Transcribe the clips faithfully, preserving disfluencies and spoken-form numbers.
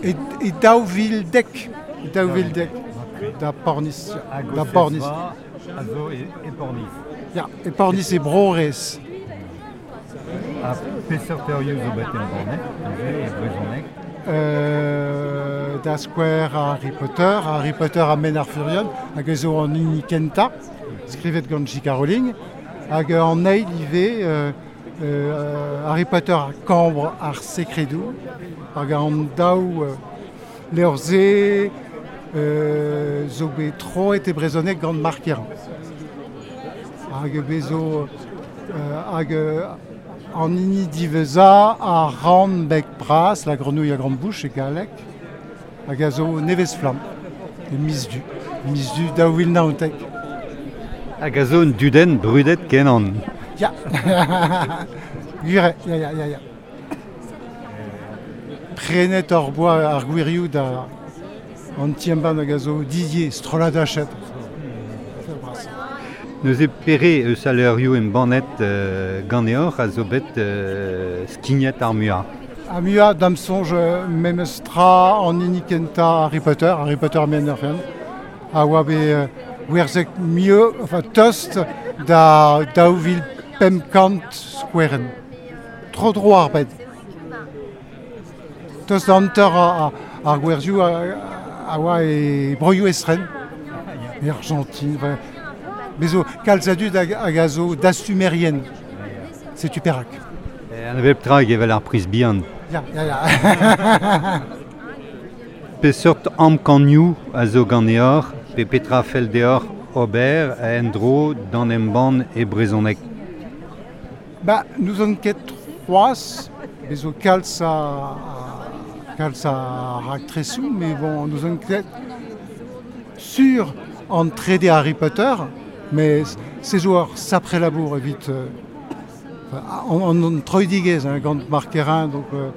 E, e daou vil dek, e daou vil dek, da Pornis, da Pornis. A zo e, e Pornis. Ya, e Pornis e Brorez. Ha peseurt eurioù zo bet embannet, neuze, e brezhoneg? Euh, da skouer Harry Potter, Harry Potter ha Men ar Furion, hag a zo an hini kentañ, skrivet gant J K. Rowling, hag an eil ivez euh, euh, Harry Potter ha Kambr ar Sekredoù, hag an daou euh, levr-se euh, zo bet troet e brezhoneg gant Mark Kerrain. Hag bezo euh, hag an hini diwezhañ a ran beg bras, la grenouille à grande bouche e galleg, hag a zo nevez flamm, e miz du, miz du daou vil naontek. Hag a zo un dudenn brudet kenan. Ya, Gure, ya, ya, ya, ya. Prenet hor boa ar gwirioù da an ti-embann hag a zo Didier Strollad Hachette. Neuze pere eus al levrioù embannet euh, ganeoc'h a zo bet euh, skignet ar muiañ. Ar muiañ da'm soñj memes tra an hini kentañ Harry Potter, Harry Potter Men ar Furion, a oa bet euh, gwerzhet mieux, enfin tost da daou vil pemp kant skouerenn. Tro dro ar bed. Tost da hanter ar, ar gwerzioù a, a oa e broioù estren, e Argentine, enfin, mais zo kalz a dud hag, hag a zo dastumerien. Setu perak. An hevelep tra hag evel ar priz bihan. Ya, ya, ya. Peseurt amkanioù a zo ganeoc'h, pe petra fell deoc'h ober en-dro d'an embann e brezhoneg? Ba, nous on ket c'hoazh, bez zo kalz a, a kalz a raktresoù, mais bon, nous on ket sur an trede Harry Potter, mais se zo ur sapre labour evit euh, an, an, an troidigezh, hein, gant Mark Kerrain, donc euh,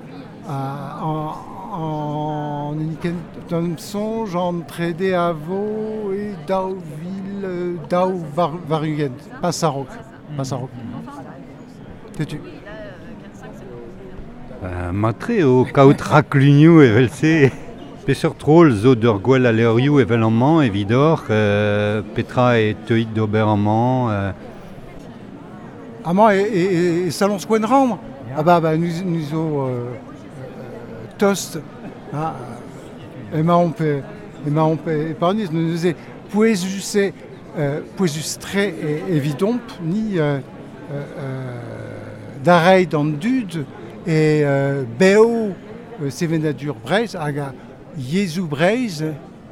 en, en hini kentañ soñj an trede a vo e daou vil daou war, war-ugent, pas a-raok, pas a-raok. Setu. Euh, matre eo kaout raklunioù evel-se. Peseurt rol zo d'ur gwell a levrioù evel amañ evidoc'h, euh, petra e teuit d'ober amañ euh... Amañ e, e, e saloñs Gwenrann. Ah bah, bah nous, nous zo euh, tost, hein, emaomp e, emaomp e Pornizh, nous neuze pouezus eo, euh, pouezus-tre e, evidomp, ni euh, euh, da reiñ d'an dud e euh, bev euh, sevenadur Breizh hag a yezhoù Breizh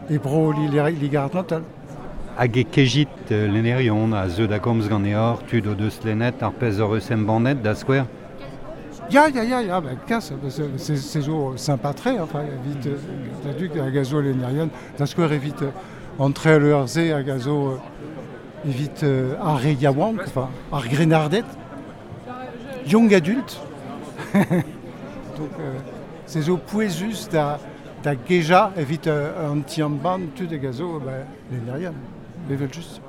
e bro Liger-Atlantel. Hag e kejit euh, lennerion a zeu da gomz ganeoc'h, tud o deus lennet ar pezh hoc'h eus embannet da skouer? Ya, ya, ya, ya, ben, kas, se, se zo sympa-tre, enfin, evit da dud hag a zo lennerion, da skouer evit entre le ze hag a zo evit ar re yaouank, enfin, ar grennarded, young adulte. Donc, euh, se zo pouezus da, da gejañ evit euh, an ti-embann tud hag a zo ben, lennerion, evel just.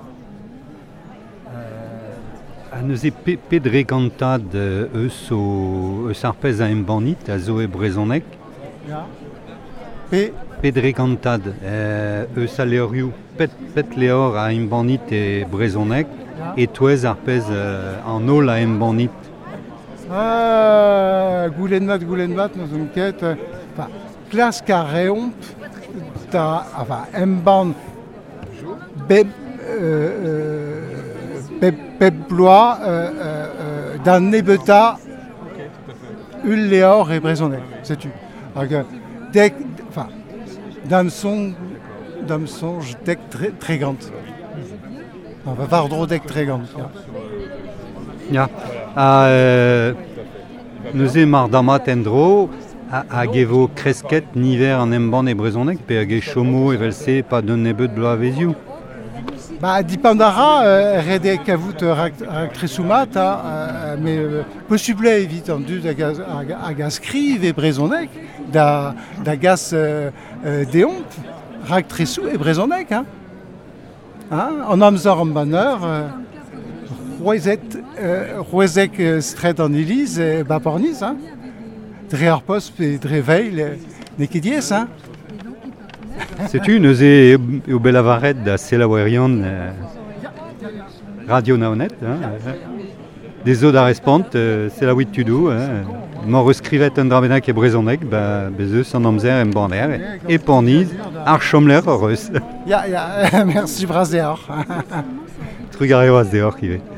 Ha neuze pe, pe dre gantad eus, o, eus ar pezh a embannit a zo e brezhoneg? Ya. Pe Pe dre gantad euh, eus al levrioù pet, pet levr a embannit e brezhoneg Ya. e touez ar pezh euh, an holl a embannit? Ah, goulenn mat, goulenn mat, n'eus ket. Enfin, klask a reomp da, enfin, embann bep, euh, bep, bep bloaz euh, euh, d'an nebeutañ ul levr e brezhoneg, setu. Hag dek, enfin, d'am soñj, d'am soñj dek tre, tregont. Enfin, war-dro dek tregont, ya. Ya. Ha euh, neuze mar damat en-dro, hag e vo kresket niver an embann e brezhoneg, pe hag e chomo evel-se pa d'un nebeud bloavezioù? Ba, dipant a ra, euh, ret eo kavout rak, raktresoù mat, ha, euh, mais euh, posupl eo evit an dud hag a, hag, hag a skriv e brezhoneg da, da gas euh, euh, deomp raktresoù e brezhoneg, hein. Hein, an amzer embanner, euh, c'hwezet, euh, c'hwezek euh, straed an Iliz e ba Pornizh, hein. Dre ar post pe dre veil, N'eo ket diaes, hein? Setu neuze eo bet lavaret da selaouerion euh, Radio Naoned, hein, euh, dezho da respont, euh, selaouit tudoù, hein, m'hor eus skrivet un dra bennak e brezhoneg, ba bez eus an amzer embanner, e Pornizh, ar chomlec'h hor eus. Ya, ya, mersi bras deoc'h. Trugarez deoc'h ivez.